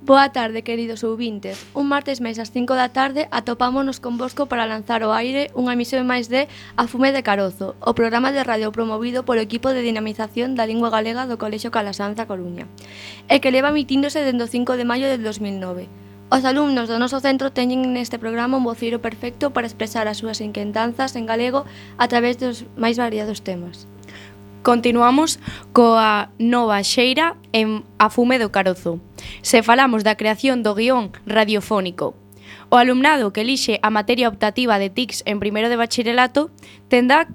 Boa tarde, queridos ouvintes. Un martes máis ás 5 da tarde atopámonos convosco para lanzar ao aire unha emisión máis de A Fume de Carozo, o programa de radio promovido polo equipo de dinamización da lingua galega do Colexio Calasanz da Coruña, e que leva emitíndose dende o 5 de maio del 2009. Os alumnos do noso centro teñen neste programa un voceiro perfecto para expresar as súas inquentanzas en galego a través dos máis variados temas. Continuamos coa nova xeira en A Fume do Carozo. Se falamos da creación do guión radiofónico, o alumnado que elixe a materia optativa de TICS en primeiro de bacharelato tendrá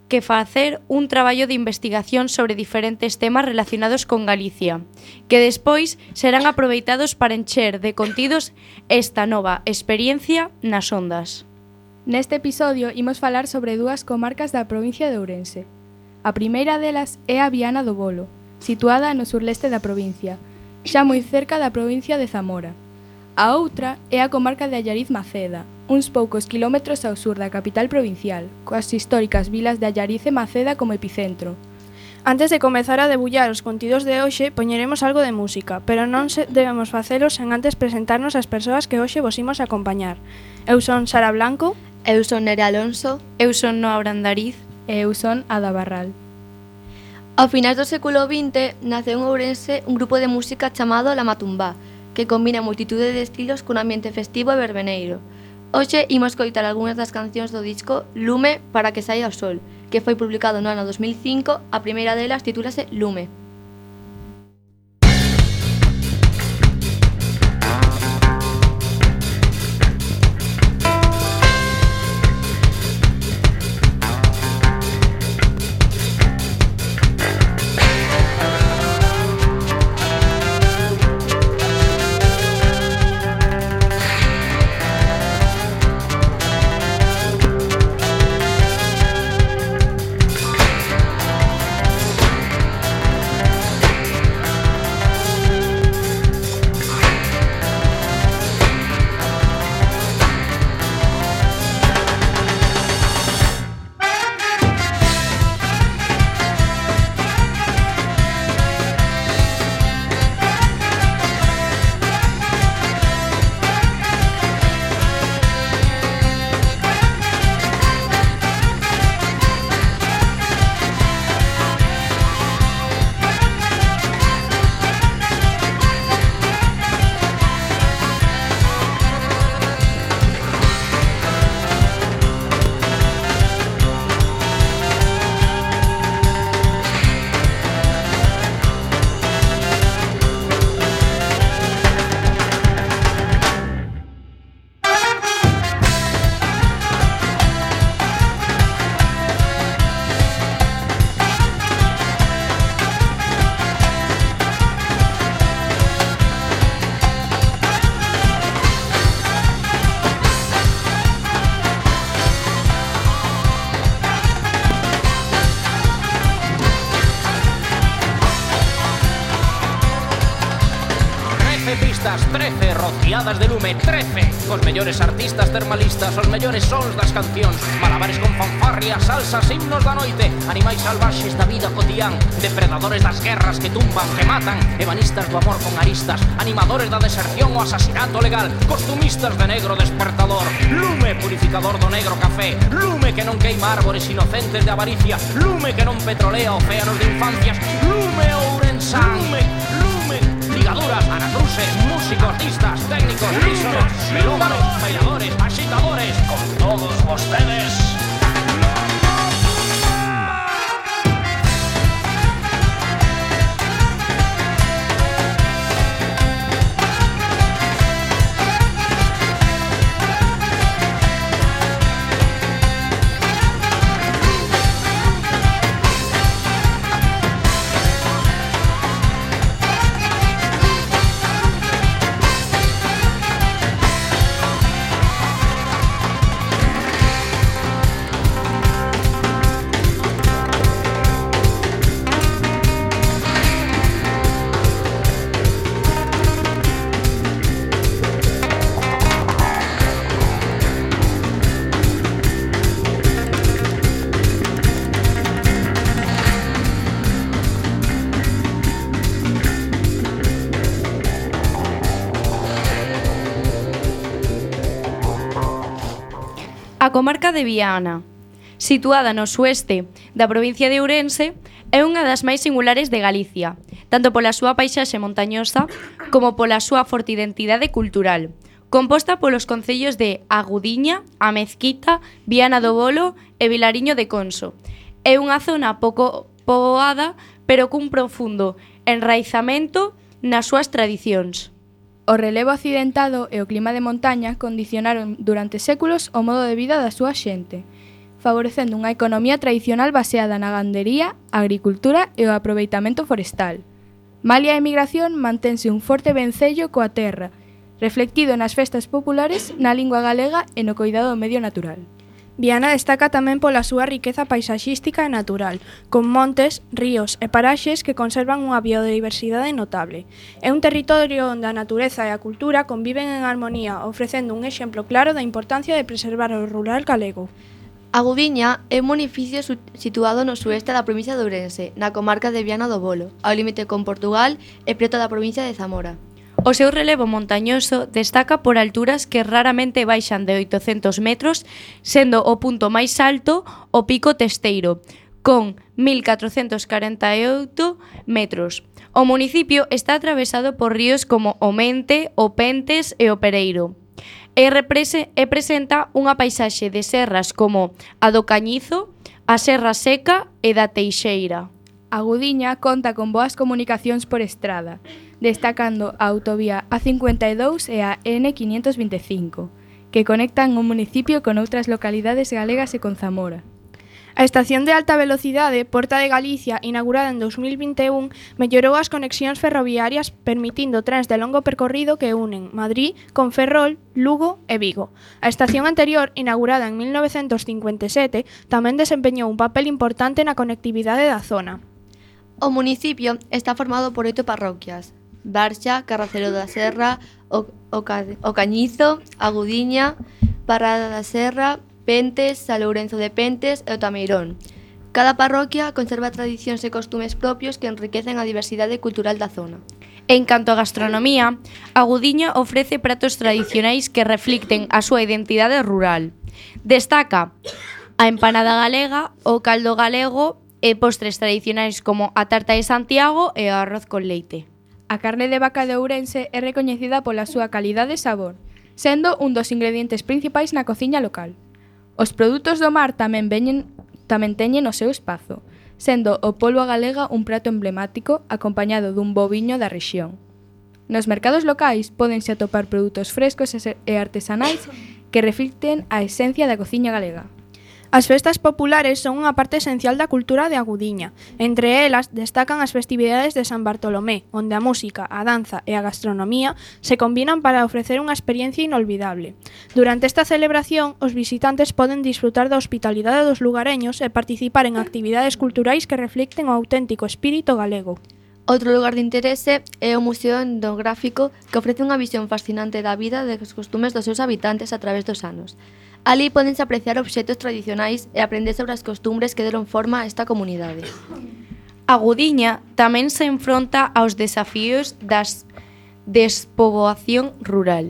que facer un traballo de investigación sobre diferentes temas relacionados con Galicia, que despois serán aproveitados para encher de contidos esta nova experiencia nas ondas. Neste episodio imos falar sobre dúas comarcas da provincia de Ourense. A primeira delas é a Viana do Bolo, situada no surleste da provincia, xa moi cerca da provincia de Zamora. A outra é a comarca de Allariz Maceda, uns poucos quilómetros ao sur da capital provincial, coas históricas vilas de Allariz e Maceda como epicentro. Antes de comezar a debullar os contidos de hoxe, poñeremos algo de música, pero non debemos facelo sen antes presentarnos as persoas que hoxe vos imos acompañar. Eu son Sara Blanco. Eu son Nere Alonso. Eu son Noa Brandariz. E eu son Ada Barral. Ao finais do século XX naceu en Ourense un grupo de música chamado La Matumbá, que combina multitude de estilos cun ambiente festivo e verbeneiro. Hoxe imos coitar algunhas das cancións do disco Lume para que saia o sol, que foi publicado no ano 2005, a primeira delas titúlase Lume. Pistas 13, rociadas de lume 13, cos mellores artistas termalistas, os mellores sons das cancións, malabares con fanfarria, salsas, himnos da noite, animais salvaxes da vida cotián, depredadores das guerras que tumban, que matan, ebanistas do amor con aristas, animadores da deserción o asasinato legal, costumistas de negro despertador, lume purificador do negro café, lume que non queima árboles inocentes de avaricia, lume que non petrolea océanos de infancias, lume ourensán, lume, ligaduras, anacruces, músicos, artistas, técnicos, rísonos, melómanos, bailadores, agitadores, con todos vostedes. A comarca de Viana, situada no sueste da provincia de Ourense, é unha das máis singulares de Galicia, tanto pola súa paisaxe montañosa como pola súa forte identidade cultural, composta polos concellos de Agudiña, A Mezquita, Viana do Bolo e Vilariño de Conso. É unha zona pouco poboada, pero cun profundo enraizamento nas súas tradicións. O relevo accidentado e o clima de montaña condicionaron durante séculos o modo de vida da súa xente, favorecendo unha economía tradicional baseada na gandería, a agricultura e o aproveitamento forestal. Malia a emigración, mantense un forte vencello coa terra, reflectido nas festas populares, na lingua galega e no coidado do medio natural. Viana destaca tamén pola súa riqueza paisaxística e natural, con montes, ríos e paraxes que conservan unha biodiversidade notable. É un territorio onde a natureza e a cultura conviven en armonía, ofrecendo un exemplo claro da importancia de preservar o rural galego. Agudiña é un municipio situado no sueste da provincia de Ourense, na comarca de Viana do Bolo, ao límite con Portugal e preto da provincia de Zamora. O seu relevo montañoso destaca por alturas que raramente baixan de 800 metros, sendo o punto máis alto o Pico Testeiro, con 1448 metros. O municipio está atravesado por ríos como o Mente, o Pentes e o Pereiro. E presenta unha paisaxe de serras como a do Cañizo, a Serra Seca e da Teixeira. Agudiña conta con boas comunicacións por estrada, destacando a autovía A52 e a N525, que conectan o municipio con outras localidades galegas e con Zamora. A estación de alta velocidade Porta de Galicia, inaugurada en 2021, mellorou as conexións ferroviarias permitindo trens de longo percorrido que unen Madrid con Ferrol, Lugo e Vigo. A estación anterior, inaugurada en 1957, tamén desempeñou un papel importante na conectividade da zona. O municipio está formado por 8 parroquias: Barxa, Carracero da Serra, o Cañizo, Agudiña, Parada da Serra, Pentes, San Lourenzo de Pentes e o Tameirón. Cada parroquia conserva tradicións e costumes propios que enriquecen a diversidade cultural da zona. En canto a gastronomía, Agudiña ofrece pratos tradicionais que reflicten a súa identidade rural. Destaca a empanada galega, o caldo galego e postres tradicionais como a tarta de Santiago e o arroz con leite. A carne de vaca de Ourense é recoñecida pola súa calidade e sabor, sendo un dos ingredientes principais na cociña local. Os produtos do mar tamén teñen o seu espazo, sendo o polvo galega un prato emblemático acompañado dun boviño da rexión. Nos mercados locais pódense atopar produtos frescos e artesanais que reflicten a esencia da cociña galega. As festas populares son unha parte esencial da cultura de Agudiña. Entre elas destacan as festividades de San Bartolomé, onde a música, a danza e a gastronomía se combinan para ofrecer unha experiencia inolvidable. Durante esta celebración, os visitantes poden disfrutar da hospitalidade dos lugareños e participar en actividades culturais que reflicten o auténtico espírito galego. Outro lugar de interese é o Museo Etnográfico, que ofrece unha visión fascinante da vida e dos costumes dos seus habitantes a través dos anos. Alí pódense apreciar obxectos tradicionais e aprender sobre as costumbres que deron forma a esta comunidade. Agudiña tamén se enfronta aos desafíos das despoboación rural.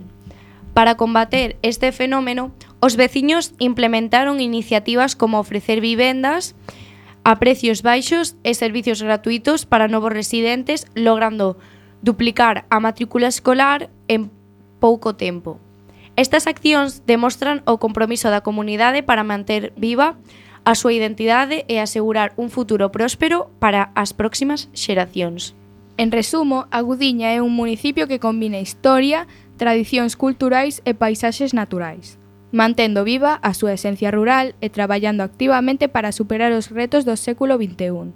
Para combater este fenómeno, os veciños implementaron iniciativas como ofrecer vivendas a precios baixos e servicios gratuitos para novos residentes, logrando duplicar a matrícula escolar en pouco tempo. Estas accións demostran o compromiso da comunidade para manter viva a súa identidade e asegurar un futuro próspero para as próximas xeracións. En resumo, Agudiña é un municipio que combina historia, tradicións culturais e paisaxes naturais, mantendo viva a súa esencia rural e traballando activamente para superar os retos do século XXI.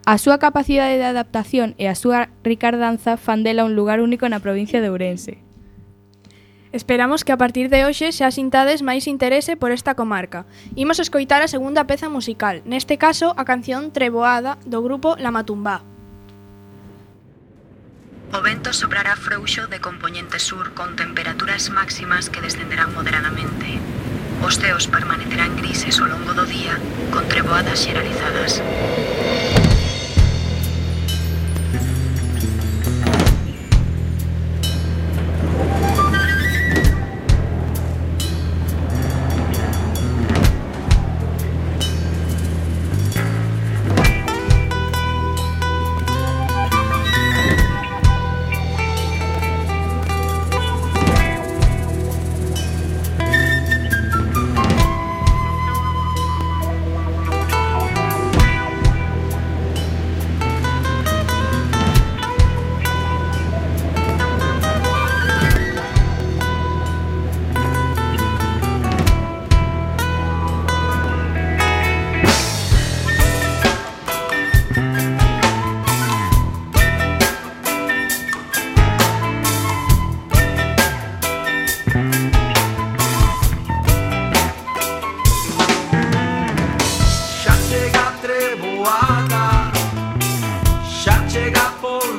A súa capacidade de adaptación e a súa ricardanza fan dela un lugar único na provincia de Ourense. Esperamos que a partir de hoxe xa sintades máis interese por esta comarca. Imos escoitar a segunda peza musical, neste caso a canción Treboada do grupo La Matumbá. O vento soprará frouxo de compoñente sur con temperaturas máximas que descenderán moderadamente. Os ceos permanecerán grises ao longo do día con treboadas xeralizadas.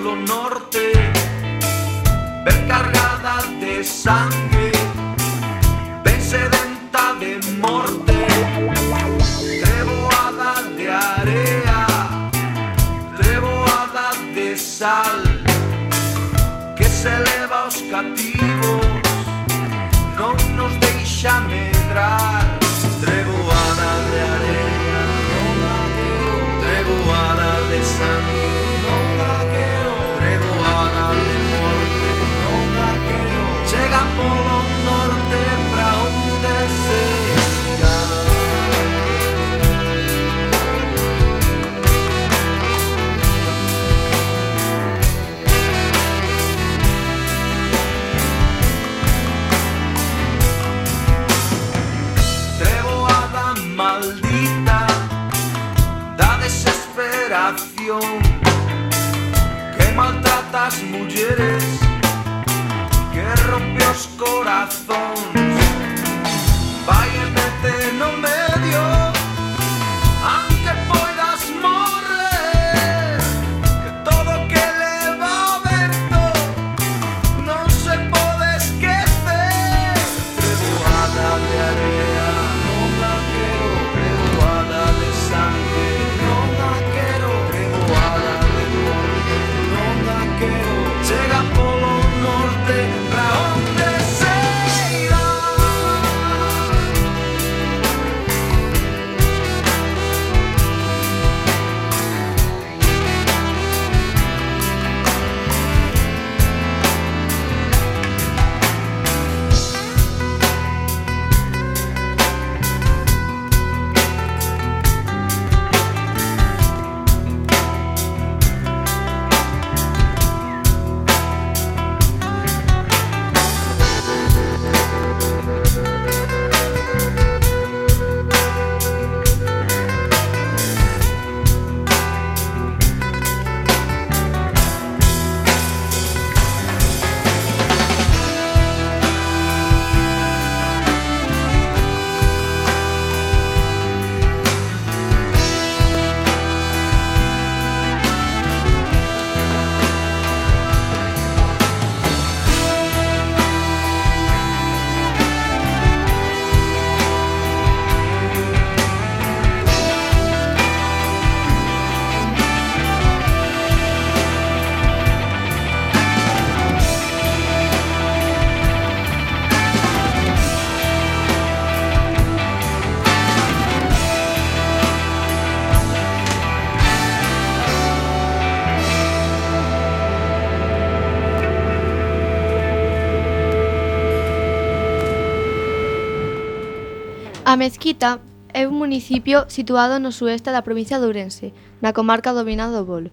polo norte, ben cargada de sangue, ben sedenta de morte, treboada de area, treboada de sal, que se leva aos cativos, non nos deixa medrar. Treboada de area, non la quero, treboada de sangue, non la quero, treboada de morte, non la quero. Chega polo norte pra onde se irá. Maldita da desesperación, que maltrata as mulleres, que rompe os corazóns, vai e mete no medio, aunque poidas morrer, que todo que leva o vento non se pode esquecer. Treboada de area, non la quero, treboada de sangue, non la quero, treboada de morte, non la quero. Chega polo norte pra onde se irá. A Mezquita é un municipio situado no sueste da provincia de Ourense, na comarca do Vinado do Bolo,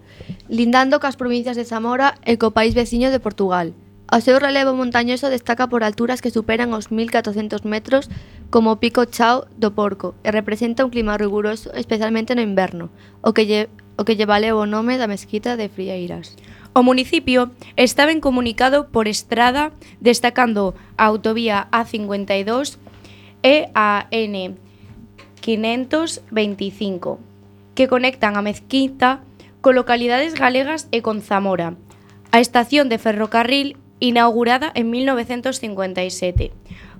lindando cas provincias de Zamora e co país veciño de Portugal. O seu relevo montañoso destaca por alturas que superan os 1400 metros, como o Pico Chao do Porco, e representa un clima riguroso, especialmente no inverno, o que lle valeu o nome da Mezquita de Frieiras. O municipio está ben comunicado por estrada, destacando a autovía A52 e a N525, que conectan a Mezquita con localidades galegas e con Zamora. A estación de ferrocarril, inaugurada en 1957,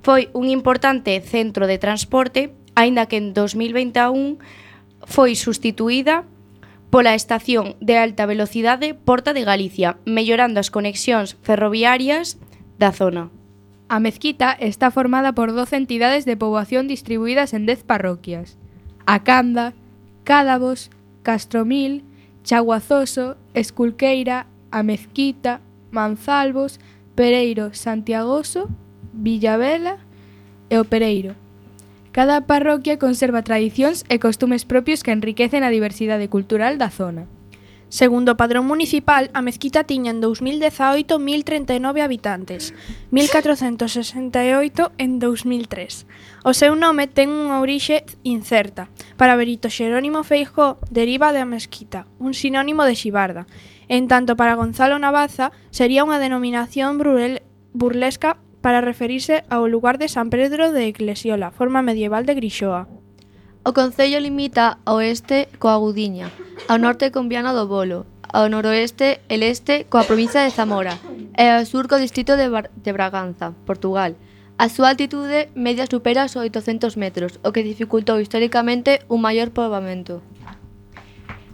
foi un importante centro de transporte, aínda que en 2021 foi sustituída pola estación de alta velocidade Porta de Galicia, mellorando as conexións ferroviarias da zona. A Mezquita está formada por 12 entidades de poboación distribuídas en 10 parroquias: Acanda, Cádavos, Castromil, Chaguazoso, Esculqueira, A Mezquita, Manzalvos, Pereiro, Santiagoso, Villavela e O Pereiro. Cada parroquia conserva tradicións e costumes propios que enriquecen a diversidade cultural da zona. Segundo o padrón municipal, a Mezquita tiña en 2018 1039 habitantes, 1468 en 2003. O seu nome ten unha orixe incerta. Para Berito Xerónimo Feijóo, deriva de a Mezquita, un sinónimo de xibarda. En tanto, para Gonzalo Navaza, sería unha denominación burlesca para referirse ao lugar de San Pedro de Eclesiola, forma medieval de Grixoa. O concello limita ao oeste coa Gudiña, ao norte con Viana do Bolo, ao noroeste e leste coa provincia de Zamora e ao sur co distrito de Braganza, Portugal. A súa altitude media supera os 800 metros, o que dificultou históricamente un maior poboamento.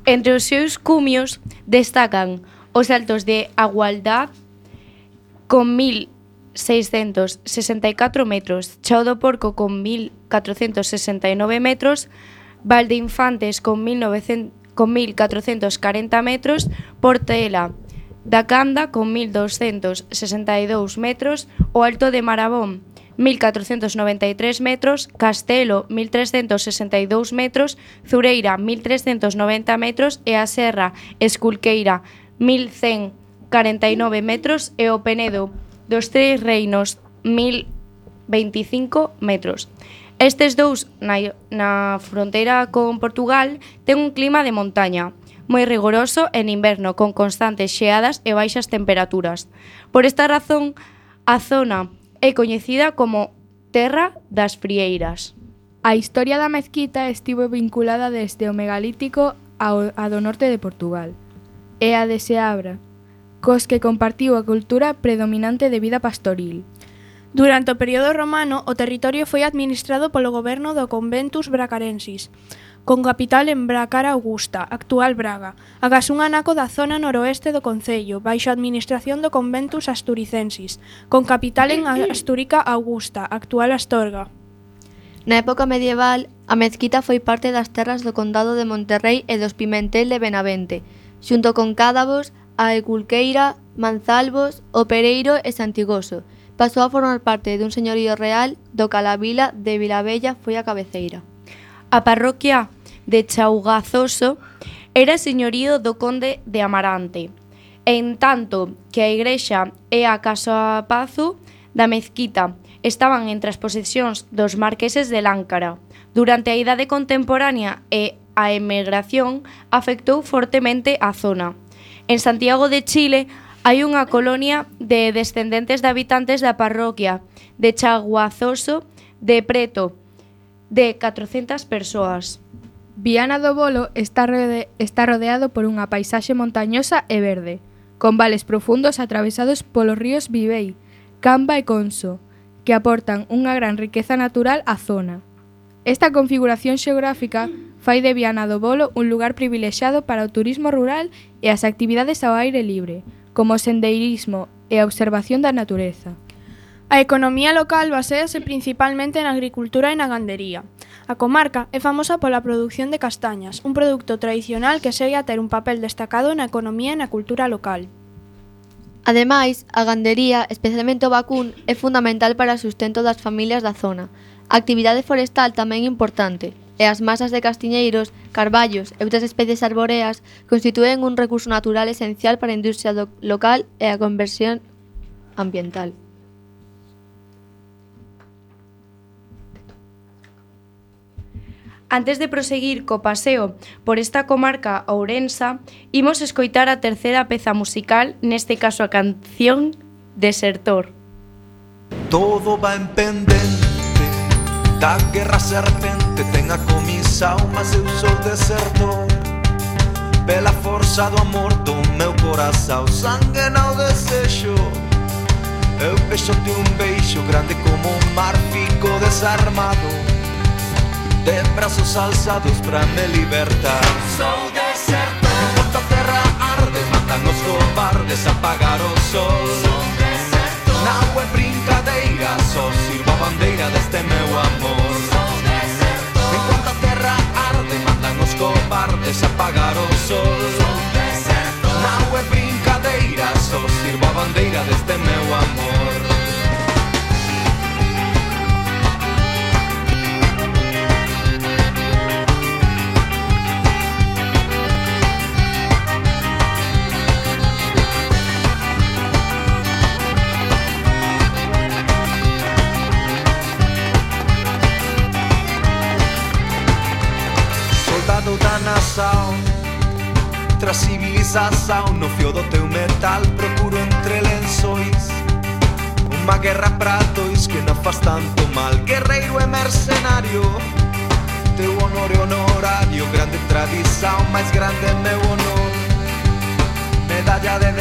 Entre os seus cumios destacan os Altos de Agualdad con 1.664 metros, Chao do Porco con 1.469 metros, Valde Infantes con 1.440 metros, Portela da Canda con 1.262 metros, o Alto de Marabón 1.493 metros, Castelo 1.362 metros, Zureira 1.390 metros e a Serra Esculqueira 1.149 metros e o Penedo dos Tres Reinos 1.025 metros. Estes dous na fronteira con Portugal ten un clima de montaña moi rigoroso en inverno con constantes xeadas e baixas temperaturas. Por esta razón, a zona é coñecida como Terra das Frieiras. A historia da mezquita estivo vinculada desde o megalítico a do norte de Portugal e a de Seabra, cos que compartiu a cultura predominante de vida pastoril. Durante o período romano, o territorio foi administrado polo goberno do Conventus Bracarensis, con capital en Bracara Augusta, actual Braga, agás un anaco da zona noroeste do concello, baixo a administración do Conventus Asturicensis, con capital en Astúrica Augusta, actual Astorga. Na época medieval, a mezquita foi parte das terras do condado de Monterrei e dos Pimentel de Benavente, xunto con Cádavos, a Eculqueira, Manzalvos, O Pereiro e Santigoso. Pasou a formar parte dun señorío real do Calavila de Vilabella foi a cabeceira. A parroquia de Chaugazoso era señorío do conde de Amarante, en tanto que a igrexa e a casa pazo da mezquita estaban entre as posesións dos marqueses de Láncara. Durante a idade contemporánea e a emigración afectou fortemente a zona. En Santiago de Chile hai unha colonia de descendentes de habitantes da parroquia de Chaguazoso de preto de 400 persoas. Viana do Bolo está rodeado por unha paisaxe montañosa e verde, con vales profundos atravesados polos ríos Vivei, Camba e Conso, que aportan unha gran riqueza natural á zona. Esta configuración xeográfica fai de Viana do Bolo un lugar privilexiado para o turismo rural e as actividades ao aire libre, como o sendeirismo e a observación da natureza. A economía local baséase principalmente na agricultura e na gandería. A comarca é famosa pola produción de castañas, un produto tradicional que segue a ter un papel destacado na economía e na cultura local. Ademais, a gandería, especialmente o vacún, é fundamental para o sustento das familias da zona. A actividade forestal tamén é importante, e as masas de castiñeiros, carballos e outras especies arboreas constitúen un recurso natural esencial para a industria local e a conversión ambiental. Antes de proseguir co paseo por esta comarca ourensa, imos escoitar a terceira peza musical, neste caso a canción Desertor. Todo va en pendente da guerra serpente, ten a comisa mas eu sou desertor. Pela forza do amor do meu corazón, sangue no desexo. Eu pexo-te un beijo grande como un mar, fico desarmado, de brazos alzados pra me libertar. Sou desertor. Enquanto a terra arde, mandan os cobardes apagar o sol. Sou desertor. Não é brincadeira, só sirvo a bandeira deste meu amor. Sou desertor. Enquanto a terra arde, mandan os cobardes apagar o sol. Sou desertor. Não é brincadeira, só sirvo a bandeira deste meu amor. Da nação, tras civilização, no fio do teu metal procuro entre lençóis uma guerra pra dois que não faz tanto mal. Guerreiro e mercenário, teu honor é honorário, grande tradição, mais grande é meu honor.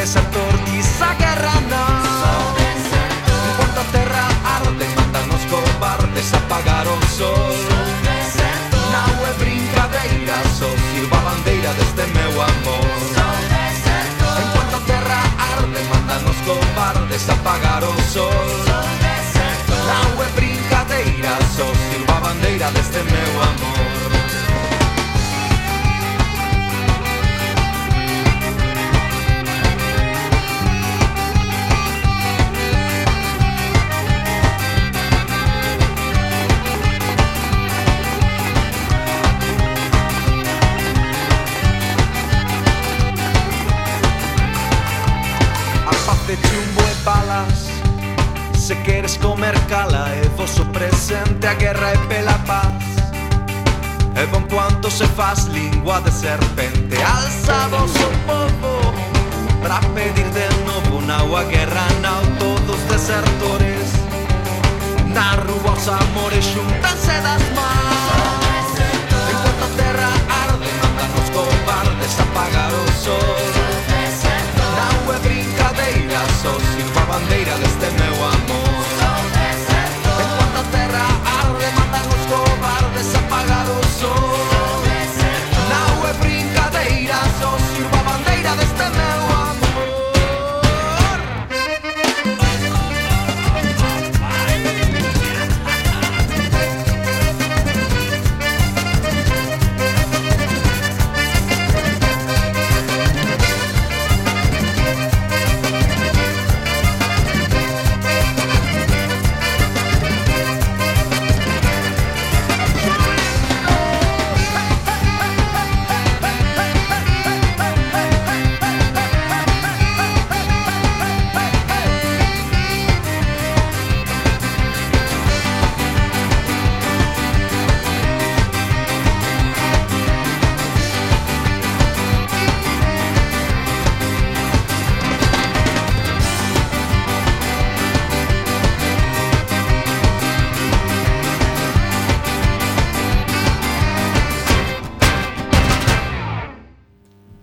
desertor, quizá guerra non. Enquanto a terra arde, mandan os cobardes apagar o sol. Non é brincadeira, só sirva a bandeira deste meu amor. Enquanto a terra arde, mandan os cobardes apagar o sol. Non é brincadeira, só sirva a bandeira deste meu amor. Chumbo e balas, se queres comer cala, é vosso presente a guerra e pela paz. É bom quanto se faz língua de serpente. Alza vosso povo para pedir de novo. Não a guerra, não todos desertores. Na rua os amores xuntanse das mãos. Enquanto a terra arde, mandan os cobardes apagar o sol. Não é brincadeira, só sirva a bandeira deste meu amor. Enquanto a terra arde, mandan os cobardes apagar o sol. Não é brincadeira, só sirva a bandeira deste meu amor.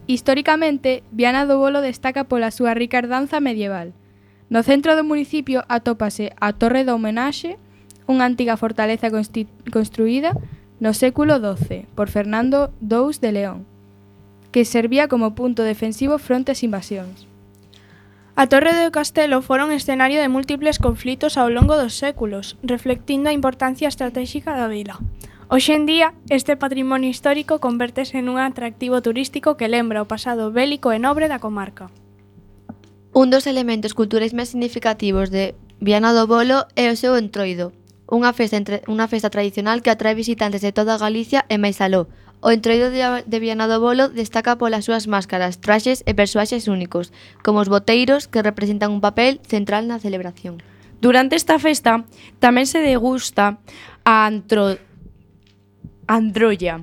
Históricamente, Viana do Bolo destaca pola súa rica herdanza medieval. No centro do municipio atópase a Torre da Homenaxe, unha antiga fortaleza construída no século XII por Fernando II de León, que servía como punto defensivo fronte ás invasións. A Torre do Castelo foron escenario de múltiples conflitos ao longo dos séculos, reflectindo a importancia estratégica da vila. Hoxe en día, este patrimonio histórico convértese nun atractivo turístico que lembra o pasado bélico e nobre da comarca. Un dos elementos culturais máis significativos de Viana do Bolo é o seu entroido, unha festa tradicional que atrae visitantes de toda Galicia e máis aló. O entroido de Viana do Bolo destaca polas súas máscaras, traxes e persoaxes únicos, como os boteiros que representan un papel central na celebración. Durante esta festa tamén se degusta a androlla,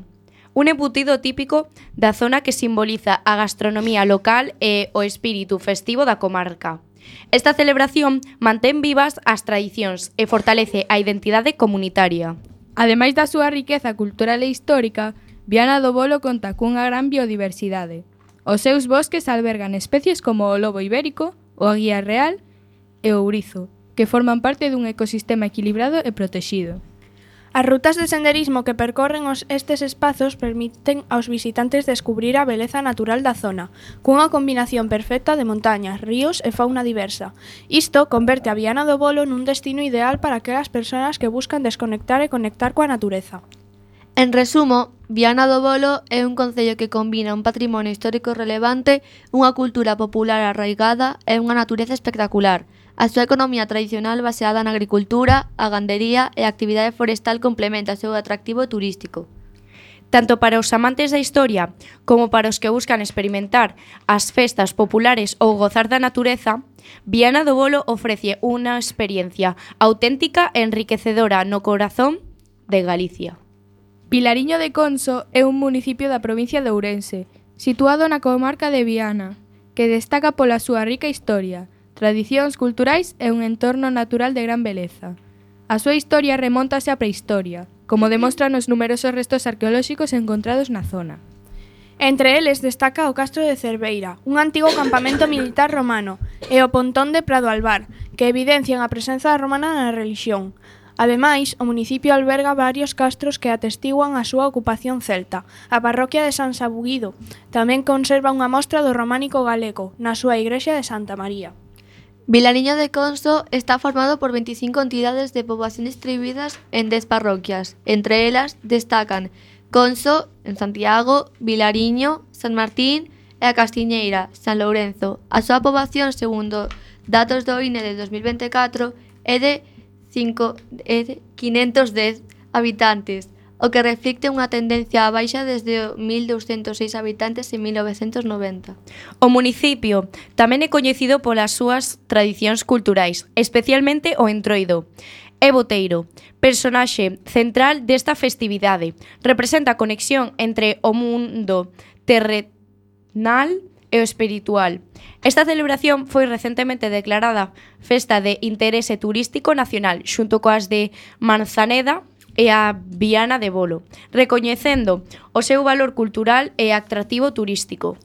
un embutido típico da zona que simboliza a gastronomía local e o espírito festivo da comarca. Esta celebración mantén vivas as tradicións e fortalece a identidade comunitaria. Ademais da súa riqueza cultural e histórica, Viana do Bolo conta cunha gran biodiversidade. Os seus bosques albergan especies como o lobo ibérico, o aguía real e o ourizo, que forman parte dun ecosistema equilibrado e protexido. As rutas de senderismo que percorren estes espazos permiten aos visitantes descubrir a beleza natural da zona, cunha combinación perfecta de montañas, ríos e fauna diversa. Isto converte a Viana do Bolo nun destino ideal para aquelas persoas que buscan desconectar e conectar coa natureza. En resumo, Viana do Bolo é un concello que combina un patrimonio histórico relevante, unha cultura popular arraigada e unha natureza espectacular. A súa economía tradicional baseada na agricultura, a gandería e a actividade forestal complementa o seu atractivo turístico. Tanto para os amantes da historia como para os que buscan experimentar as festas populares ou gozar da natureza, Viana do Bolo ofrece unha experiencia auténtica e enriquecedora no corazón de Galicia. Pilariño de Conso é un municipio da provincia de Ourense, situado na comarca de Viana, que destaca pola súa rica historia, tradicións culturais e un entorno natural de gran beleza. A súa historia remóntase á prehistoria, como demostran os numerosos restos arqueolóxicos encontrados na zona. Entre eles destaca o Castro de Cerveira, un antigo campamento militar romano, e o pontón de Prado Albar, que evidencian a presenza romana na relixión. Ademais, o municipio alberga varios castros que atestiguan a súa ocupación celta. A parroquia de San Sabuguido tamén conserva unha mostra do románico galego na súa igrexa de Santa María. Vilariño de Conso está formado por 25 entidades de poboación distribuídas en 10 parroquias. Entre elas destacan Conso, en Santiago, Vilariño, San Martín e a Castiñeira, San Lourenzo. A súa poboación, segundo datos do INE de 2024, é de 510 habitantes, o que reflicte unha tendencia á baixa desde 1.206 habitantes en 1990. O municipio tamén é coñecido polas súas tradicións culturais, especialmente o entroido. É boteiro, personaxe central desta festividade. Representa a conexión entre o mundo terrenal e o espiritual. Esta celebración foi recentemente declarada Festa de Interese Turístico Nacional, xunto coas de Manzaneda e a Viana de Bolo, recoñecendo o seu valor cultural e atractivo turístico.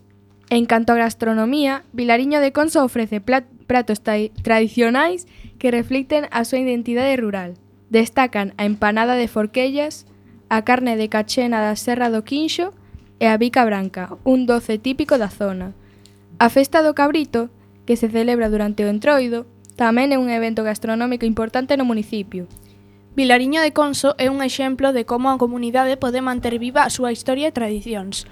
En canto a gastronomía, Vilariño de Conso ofrece pratos tradicionais que reflicten a súa identidade rural. Destacan a empanada de Forquellas, a carne de cachena da Serra do Quinxo e a bica branca, un doce típico da zona. A festa do cabrito, que se celebra durante o entroido, tamén é un evento gastronómico importante no municipio. Vilariño de Conso é un exemplo de como a comunidade pode manter viva a súa historia e tradicións,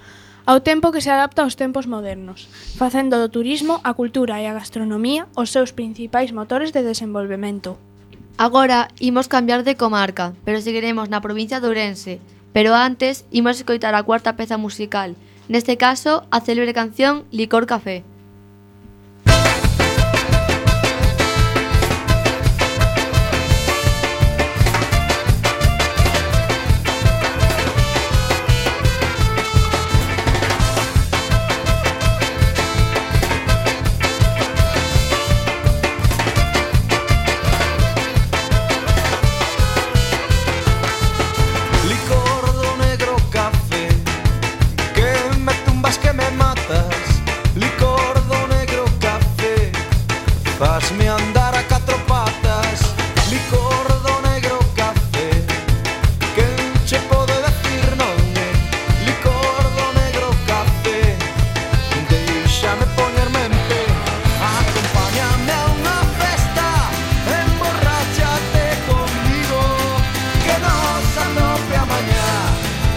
ao tempo que se adapta aos tempos modernos, facendo do turismo, a cultura e a gastronomía os seus principais motores de desenvolvemento. Agora imos cambiar de comarca, pero seguiremos na provincia de Ourense. Pero antes imos escoitar a cuarta peza musical, neste caso a célebre canción Licor Café. Fasme andar a catro patas, licor do negro café. Quen che pode decir non é licor do negro café? Deixame poñerme en pé, acompáñame a unha festa, emborráchate conmigo, que nos anope a mañá,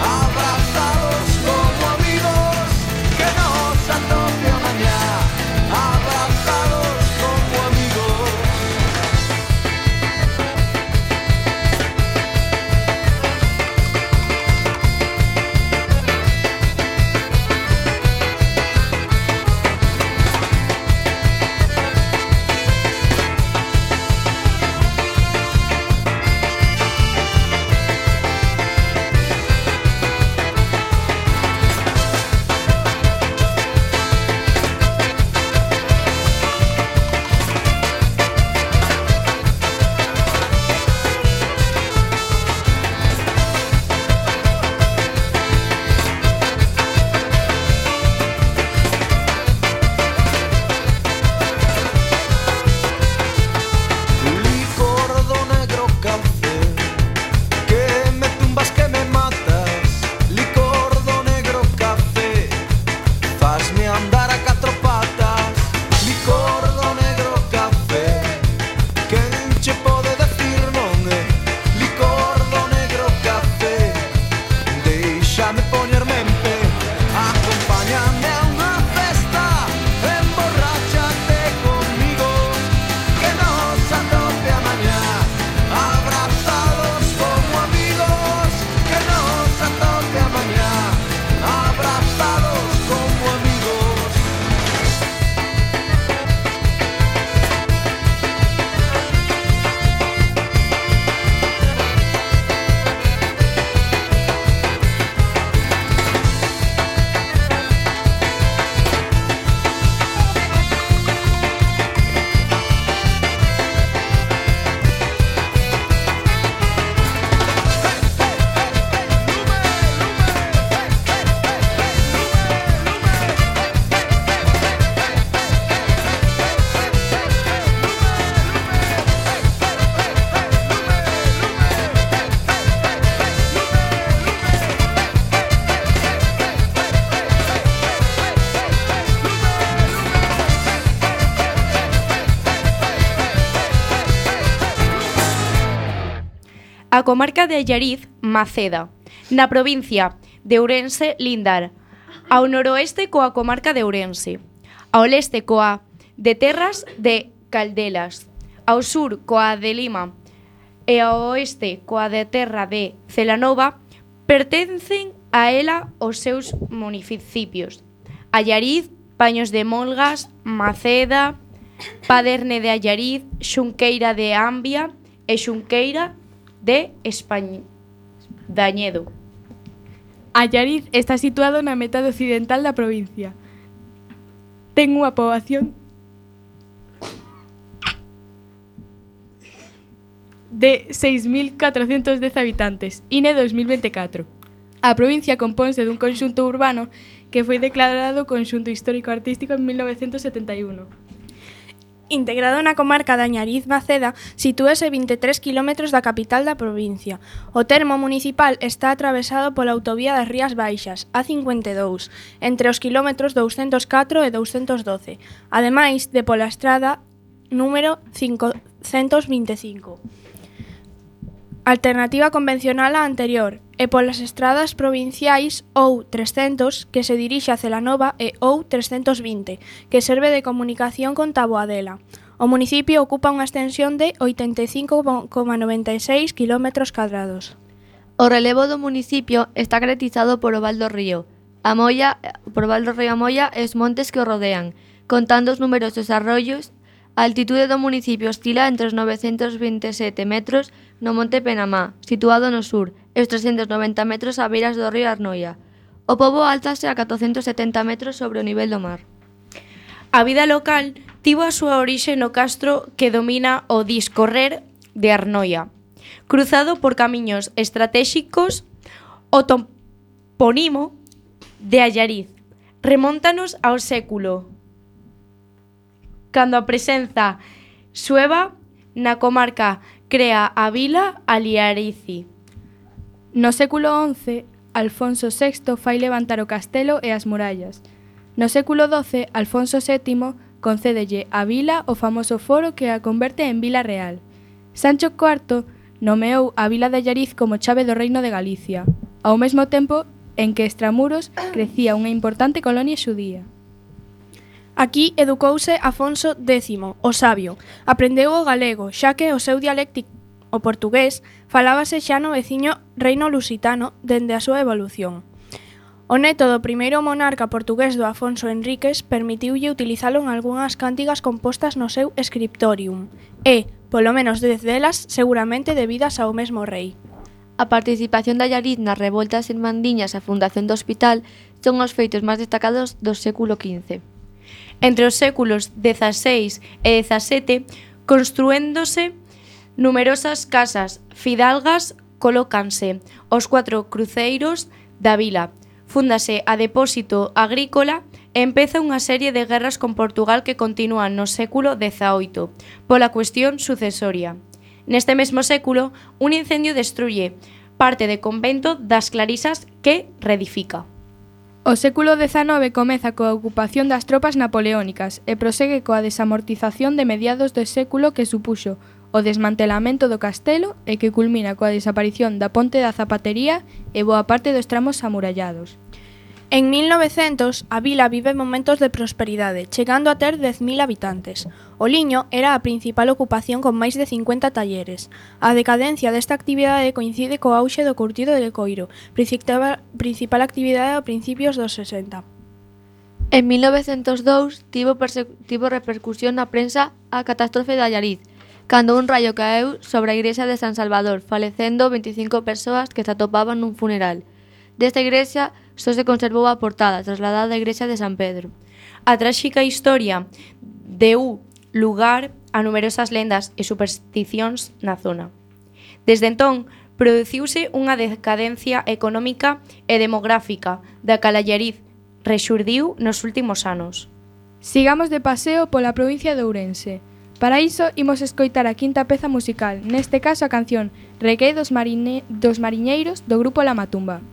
abrazados como amigos, que nos anope a mañá, abrazados. a comarca de Allariz, Maceda. Na provincia de Ourense, Lindar. Ao noroeste coa comarca de Ourense. Ao leste coa de Terras de Caldelas. Ao sur coa de Lima e ao oeste coa de terra de Celanova. Pertencen a ela os seus municipios: Allariz, Paños de Molgas, Maceda, Paderne de Allariz, Xunqueira de Ambia e Xunqueira de Dañedo. Allariz está situado na metade occidental da provincia. Ten unha poboación de 6.410 habitantes, INE 2024. A provincia compónse dun conxunto urbano que foi declarado Conxunto Histórico-Artístico en 1971. Integrado na comarca de Allariz-Maceda, sitúase 23 km da capital da provincia. O termo municipal está atravesado pola autovía das Rías Baixas, A52, entre os kilómetros 204 e 212, ademais de pola estrada número 525. Alternativa convencional á anterior, e polas estradas provinciais ou 300, que se dirixe a Celanova, e ou 320, que serve de comunicación con Taboadela. O municipio ocupa unha extensión de 85,96 km². O relevo do municipio está caracterizado por o Val do Río, a Molla e os montes que o rodean, contando os numerosos arroios. A altitude do municipio oscila entre os 927 metros no Monte Penamá, situado no sur, e os 390 metros a beiras do río Arnoia. O pobo altase a 470 metros sobre o nivel do mar. A vida local tivo a súa orixe no castro que domina o discorrer de Arnoia. Cruzado por camiños estratéxicos, o topónimo de Allariz remóntanos ao século cando a presenza sueva na comarca crea a vila Allarizi. No século XI, Alfonso VI fai levantar o castelo e as murallas. No século XII, Alfonso VII concédelle a vila o famoso foro que a converte en vila real. Sancho IV nomeou a vila de Allariz como chave do reino de Galicia, ao mesmo tempo en que extramuros crecía unha importante colonia xudía. Aquí educouse Afonso X, o sabio. Aprendeu o galego, xa que o seu dialéctico, o portugués, falábase xa no veciño reino lusitano dende a súa evolución. O neto do primeiro monarca portugués do Afonso Henriques permitiulle utilizalo en algunhas cántigas compostas no seu scriptorium, e, polo menos 10 delas, seguramente debidas ao mesmo rei. A participación de Allariz nas revoltas irmandiñas e a fundación do hospital son os feitos máis destacados do século XV. Entre os séculos XVI e XVII, construéndose numerosas casas fidalgas, colócanse os 4 cruceiros da vila, fúndase a depósito agrícola e empeza unha serie de guerras con Portugal que continúan no século XVIII, pola cuestión sucesoria. Neste mesmo século, un incendio destruye parte de convento das Clarisas que reedifica. O século XIX comeza coa ocupación das tropas napoleónicas e prosegue coa desamortización de mediados do século que supuxo o desmantelamento do castelo e que culmina coa desaparición da ponte da Zapatería e boa parte dos tramos amurallados. En 1900, a vila vive momentos de prosperidade, chegando a ter 10.000 habitantes. O liño era a principal ocupación con máis de 50 talleres. A decadencia desta actividade coincide co auxe do curtido de coiro, principal actividade a principios dos 60. En 1902 tivo repercusión na prensa a catástrofe de Allariz, cando un raio caeu sobre a igrexa de San Salvador, falecendo 25 persoas que se atopaban nun funeral. Desta igrexa só se conservou a portada, trasladada á igrexa de San Pedro. A tráxica historia deu lugar a numerosas lendas e supersticións na zona. Desde entón, produciuse unha decadencia económica e demográfica da cal Allariz rexurdiu nos últimos anos. Sigamos de paseo pola provincia de Ourense. Para iso, imos escoitar a quinta peza musical, neste caso a canción Regué dos Mariñeiros do grupo La Matumba.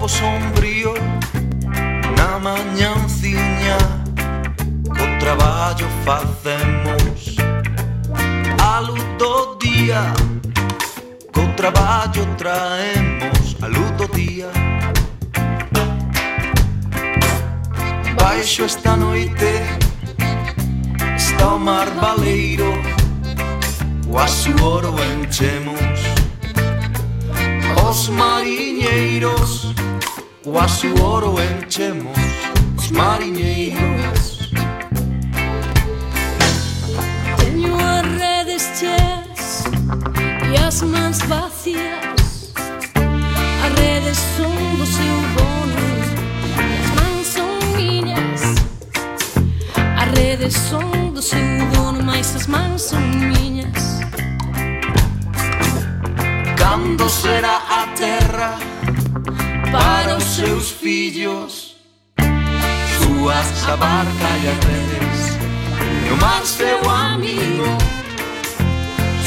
Sombrío na mañanciña co traballo facemos a luz do día, co traballo traemos a luz do día. Baixo esta noite está o mar baleiro, o asuoro enchemos os mariñeiros, o asuoro enchemos os mariñeiros. Teño as redes cheas e as mans vacías. As redes son do seu dono e as mans son miñas. As redes son do seu dono, mais as mans son miñas. Cando será a terra para os seus fillos, súas a barca e as redes e o mar seu amigo,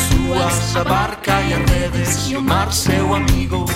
súas a barca e as redes e o mar seu amigo.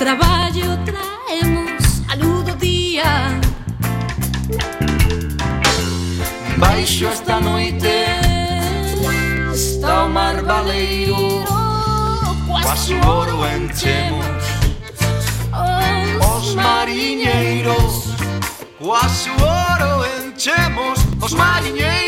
Traballo traemos a luz do día. Baixo esta noite está o mar baleiro, o asuoro enchemos os mariñeiros, o asuoro enchemos os mariñeiros.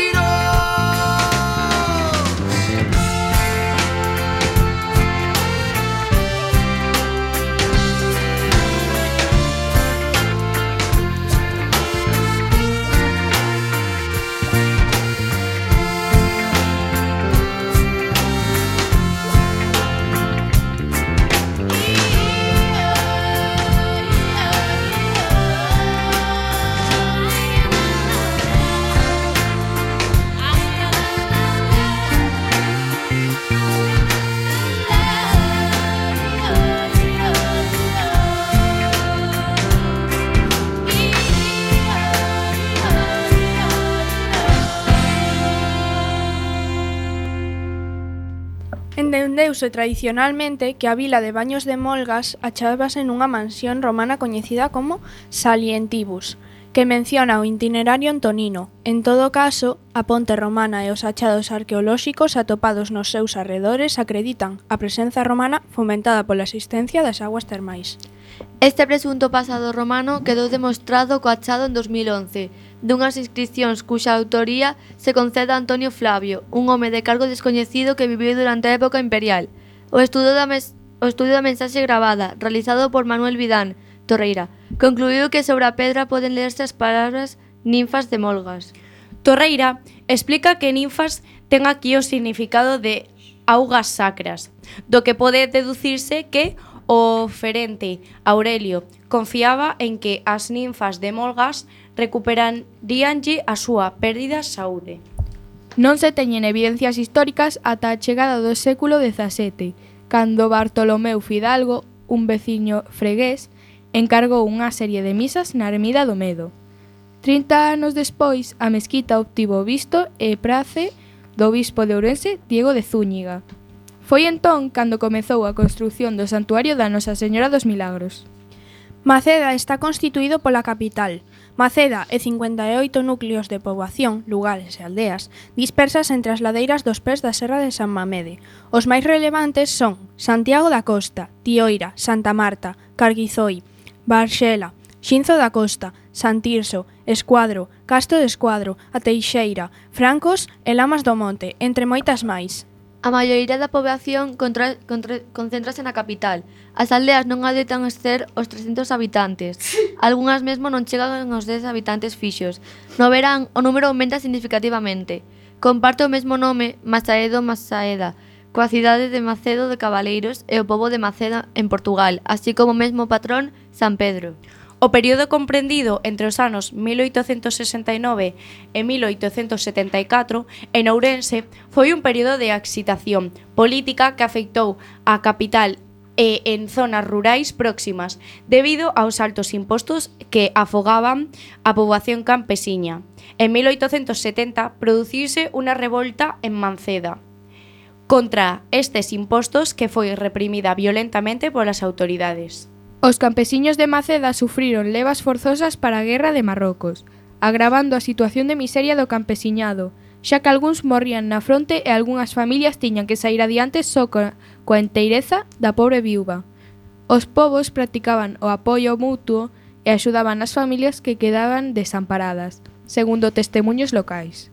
Entendeuse tradicionalmente que a vila de Baños de Molgas achábase nunha mansión romana coñecida como Salientibus, que menciona o itinerario antonino. En todo caso, a ponte romana e os achados arqueolóxicos atopados nos seus arredores acreditan a presenza romana fomentada pola existencia das aguas termais. Este presunto pasado romano quedou demostrado co achado en 2011 dunhas inscripcións cuxa autoría se concede a Antonio Flavio, un home de cargo descoñecido que viviu durante a época imperial. O estudo da mensaxe gravada, realizado por Manuel Vidán Torreira, concluíu que sobre a pedra poden lerse as palabras ninfas de Molgas. Torreira explica que ninfas ten aquí o significado de augas sacras, do que pode deducirse que o oferente Aurelio confiaba en que as ninfas de Molgas recuperaríanlle a súa pérdida saúde. Non se teñen evidencias históricas ata a chegada do século XVII, cando Bartolomeu Fidalgo, un veciño fregués, encargou unha serie de misas na Ermida do Medo. 30 anos despois, a mesquita obtivo visto e prace do bispo de Ourense, Diego de Zúñiga. Foi entón cando comezou a construción do Santuario da Nosa Señora dos Milagros. Maceda está constituído pola capital. Maceda e 58 núcleos de poboación, lugares e aldeas, dispersas entre as ladeiras dos pés da Serra de San Mamede. Os máis relevantes son Santiago da Costa, Tioira, Santa Marta, Carguizoi, Barxela, Xinzo da Costa, San Tirso, Escuadro, Castro de Escuadro, A Teixeira, Francos e Lamas do Monte, entre moitas máis. A maioría da poboación concéntrase na capital. As aldeas non adoitan exceder os 300 habitantes. Algunhas mesmo non chegan aos 10 habitantes fixos. No verán, o número aumenta significativamente. Comparte o mesmo nome, Masaeda, coa cidade de Macedo de Cabaleiros e o pobo de Maceda en Portugal, así como o mesmo patrón, San Pedro. O período comprendido entre os anos 1869 e 1874 en Ourense foi un período de excitación política que afectou a capital e en zonas rurais próximas debido aos altos impostos que afogaban a poboación campesiña. En 1870 produciuse unha revolta en Manceda contra estes impostos que foi reprimida violentamente polas autoridades. Os campesiños de Maceda sufriron levas forzosas para a guerra de Marrocos, agravando a situación de miseria do campesiñado, xa que algúns morrían na fronte e algunhas familias tiñan que sair adiante só coa enteireza da pobre viúva. Os povos practicaban o apoio mutuo e axudaban as familias que quedaban desamparadas, segundo testemuños locais.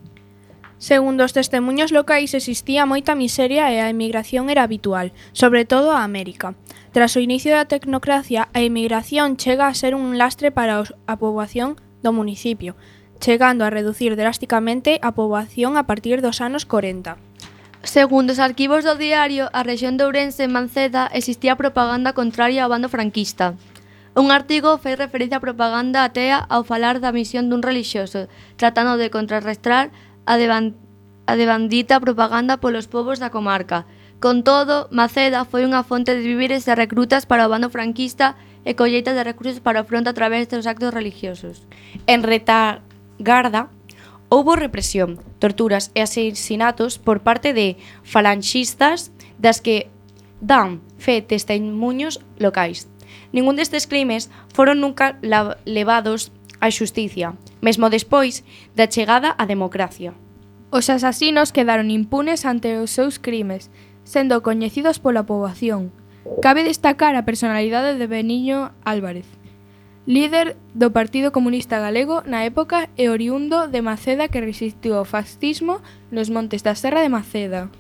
Segundo os testemuños locais, existía moita miseria e a emigración era habitual, sobre todo a América. Tras o inicio da tecnocracia, a emigración chega a ser un lastre para a poboación do municipio, chegando a reducir drásticamente a poboación a partir dos anos 40. Segundo os arquivos do diario, a rexión de Ourense en Manceda existía propaganda contraria ao bando franquista. Un artigo fai referencia á propaganda atea ao falar da misión dun relixioso, tratando de contrarrestar a devandita propaganda polos povos da comarca. Con todo, Maceda foi unha fonte de víveres e recrutas para o bando franquista e colleita de recursos para o fronte a través dos actos religiosos. En retagarda, houbo represión, torturas e asesinatos por parte de falanxistas das que dan fe testemuños locais. Ningún destes crimes foron nunca levados á xusticia, mesmo despois da chegada á democracia. Os asasinos quedaron impunes ante os seus crimes, sendo coñecidos pola poboación. Cabe destacar a personalidade de Beniño Álvarez, líder do Partido Comunista Galego na época e oriundo de Maceda que resistiu ao fascismo nos montes da Serra de Maceda.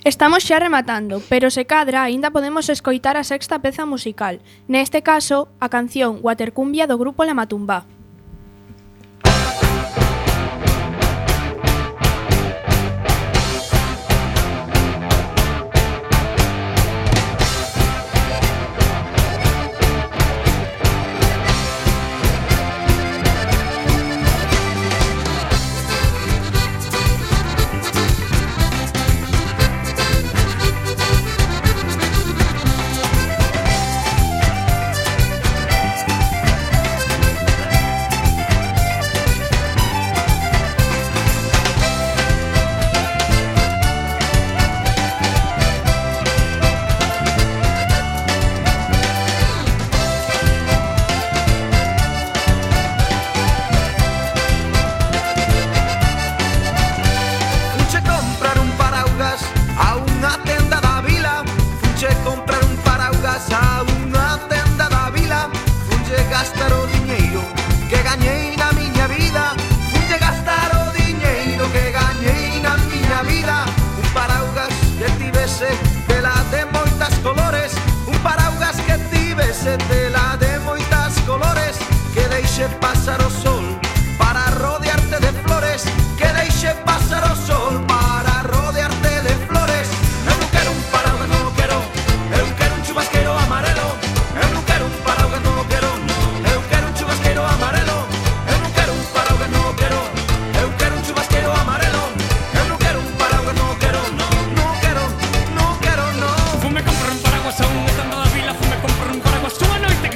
Estamos xa rematando, pero se cadra aínda podemos escoitar a sexta peza musical, neste caso a canción Watercumbia do grupo La Matumbá. Fume compro un paraguas a un estando da vila, fume compro un paraguas a noite.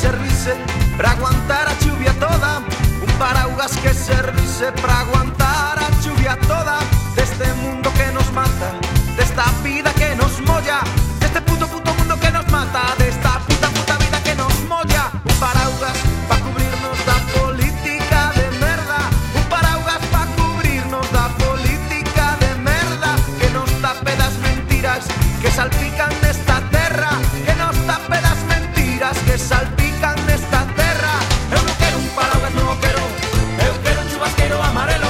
servise para aguantar a chuvia toda, un paraugas que servise para aguantar a chuvia toda, deste mundo que nos mata, desta vida que nos molla, deste puto mundo que nos mata, desta puta vida que nos molla, un paraugas para cubrirnos da política de merda, un paraugas para cubrirnos da política de merda, que nos tape das mentiras que salpican nesta terra, que nos tape das mentiras que salpican nesta terra. Eu non quero un paraugas, non o quero, eu quero un chubasquero amarelo,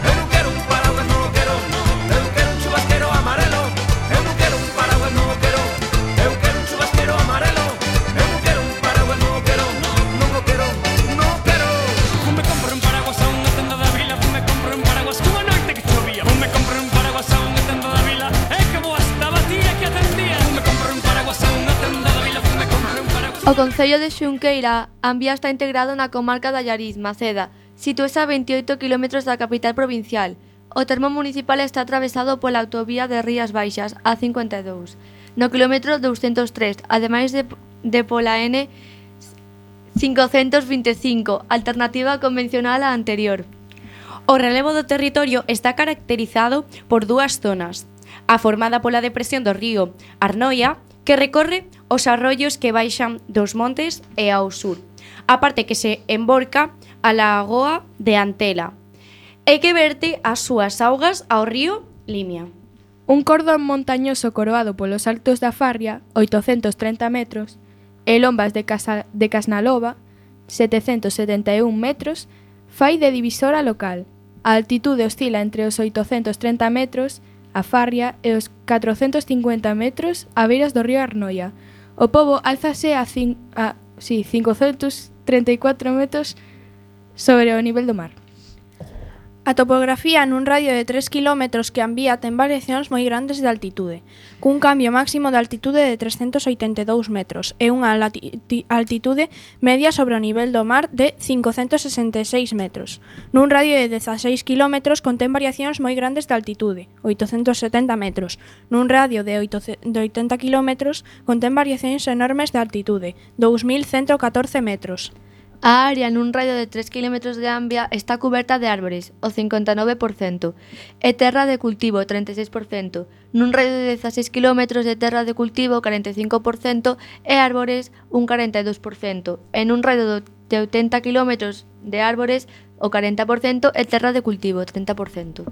eu non quero un paraugas, non o quero, eu quero un chubasquero amarelo, eu non quero un paraugas, non o quero, eu quero un chubasquero amarelo, eu non quero un paraugas, non o quero, non o quero, non o quero. Me compro un paraguas a unha tenda da vila, me compro un paraguas cunha noite que chovía, me compro un paraguas a unha tenda da vila, e que boa estaba a tía que atendía, me compro un paraguas a unha tenda da vila, me compro un paraguas. O concello de Xunqueira, Ambia está integrado na comarca da Allariz, Maceda, sitúese a 28 km da capital provincial. O termo municipal está atravesado pola autovía de Rías Baixas, A52, no kilómetro 203, ademais de pola N 525, alternativa convencional á anterior. O relevo do territorio está caracterizado por dúas zonas. A formada pola depresión do río Arnoia, que recorre os arroios que baixan dos montes e ao sur, a parte que se emborca a lagoa de Antela, e que verte as súas augas ao río Limia. Un cordón montañoso coroado polos altos da Farria, 830 metros, e lombas de Casnalova, 771 metros, fai de divisora local. A altitude oscila entre os 830 metros a Farria e os 450 metros a beiras do río Arnoia. O pobo álzase a 534 metros sobre o nivel do mar. A topografía nun radio de 3 km que Ambía ten variacións moi grandes de altitude, cun cambio máximo de altitude de 382 metros e unha altitude media sobre o nivel do mar de 566 metros. Nun radio de 16 km contén variacións moi grandes de altitude, 870 metros. Nun radio de 80 km contén variacións enormes de altitude, 2114 metros. A área nun radio de 3 km de Ambia está cuberta de árbores, o 59%, e terra de cultivo, 36%. Nun radio de 16 km de terra de cultivo, 45%, e árbores, un 42%. En un radio de 80 km de árbores, o 40%, e terra de cultivo, 30%.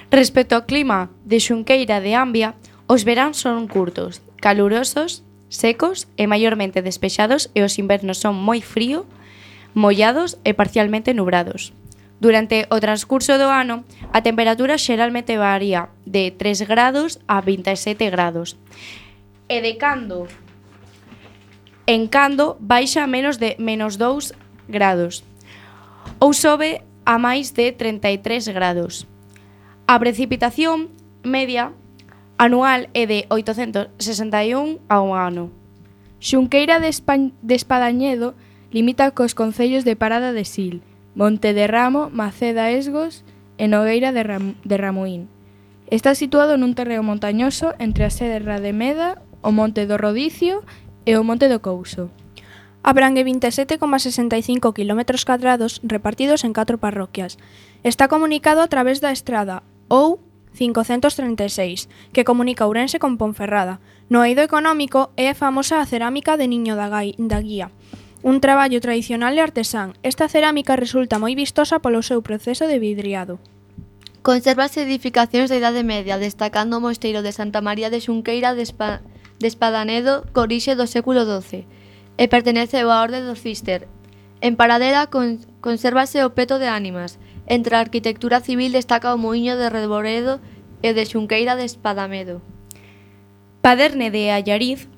Respecto ao clima de Xunqueira de Ambia, os veráns son curtos, calurosos, secos e maiormente despexados, e os invernos son moi frío, mollados e parcialmente nubrados. Durante o transcurso do ano, a temperatura xeralmente varía de 3 grados a 27 grados. E de cando en cando baixa a menos de menos 2 grados. Ou sobe a máis de 33 grados. A precipitación media anual é de 861 ao ano. Xunqueira de Espadañedo limita cos concellos de Parada de Sil, Monte de Ramo, Maceda Esgos e Nogueira de Ramuín. Está situado nun terreo montañoso entre a Serra de Meda, o Monte do Rodicio e o Monte do Couso. Abrangue 27,65 km² repartidos en 4 parroquias. Está comunicado a través da estrada ou 536, que comunica Ourense con Ponferrada. No eido económico é famosa a cerámica de Niño da Guía, un traballo tradicional e artesán. Esta cerámica resulta moi vistosa polo seu proceso de vidriado. Consérvase edificacións da Idade Media, destacando o mosteiro de Santa María de Xunqueira de Espadanedo, corixe do século XII, e pertenece á Orde do Cister. En Paradela consérvase o peto de ánimas. Entre a arquitectura civil destaca o muiño de Reboredo e de Xunqueira de Espadamedo. Paderne de Allariz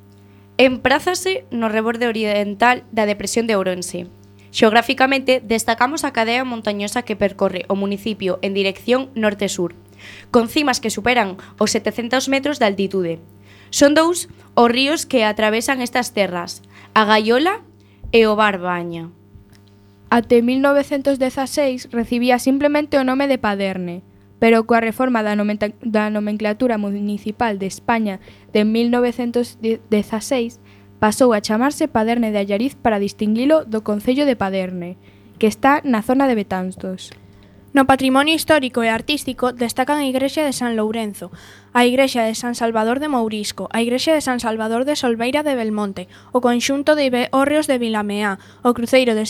emprázase no reborde oriental da depresión de Ourense. Xeográficamente, destacamos a cadea montañosa que percorre o municipio en dirección norte-sur, con cimas que superan os 700 metros de altitude. Son dous os ríos que atravesan estas terras, a Gaiola e o Barbaña. Até 1916 recibía simplemente o nome de Paderne, pero coa reforma da nomenclatura municipal de España de 1916 pasou a chamarse Paderne de Allariz para distinguilo do concello de Paderne, que está na zona de Betanzos. No patrimonio histórico e artístico destacan a Igrexa de San Lourenzo, a Igrexa de San Salvador de Mourisco, a Igrexa de San Salvador de Solveira de Belmonte, o conxunto de hórreos de Vilameá, o cruceiro de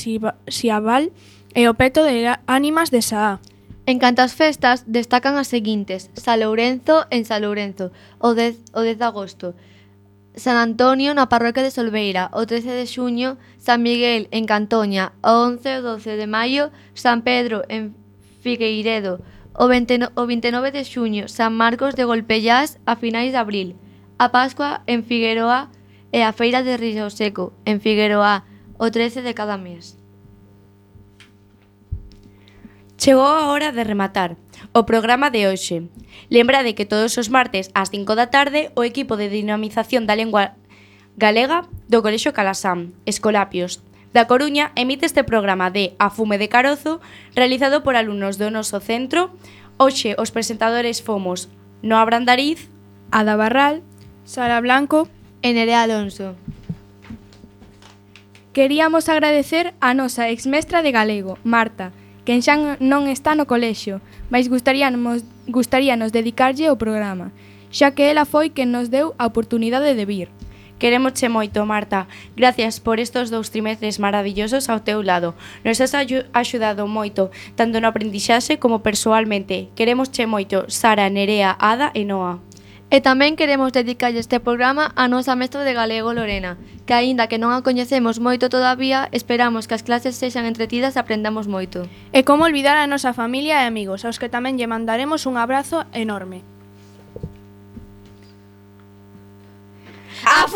Siabal e o peto de ánimas de Saá. En canto ás festas, destacan as seguintes: San Lourenzo en San Lourenzo, o 10 de agosto, San Antonio na parroquia de Solveira, o 13 de xuño, San Miguel en Cantoña, o 11 e 12 de maio, San Pedro en Figueiredo, o 29 de xuño, San Marcos de Golpellás a finais de abril, a Pascua en Figueroa e a Feira de Río Seco en Figueroa, o 13 de cada mes. Chegou a hora de rematar o programa de hoxe. Lembrade que todos os martes ás 5 da tarde o equipo de dinamización da lingua galega do Colexio Calasán, Escolapios, da Coruña, emite este programa de A Fume de Carozo, realizado por alumnos do noso centro. Hoxe os presentadores fomos Noa Brandariz, Ada Barral, Sara Blanco E Nerea Alonso. Queríamos agradecer a nosa exmestra de galego, Marta, quen xa non está no colexio, mas gustaríanos dedicarlle o programa, xa que ela foi quen nos deu a oportunidade de vir. Querémosche moito, Marta. Gracias por estos 2 trimestres maravillosos ao teu lado. Nos has axudado moito, tanto no aprendixaxe como persoalmente. Querémosche moito, Sara, Nerea, Ada e Noa. E tamén queremos dedicarlle este programa a nosa mestra de galego, Lorena, que aínda que non a coñecemos moito todavía, esperamos que as clases sexan entretidas e aprendamos moito. E como olvidar a nosa familia e amigos, aos que tamén lle mandaremos un abrazo enorme. A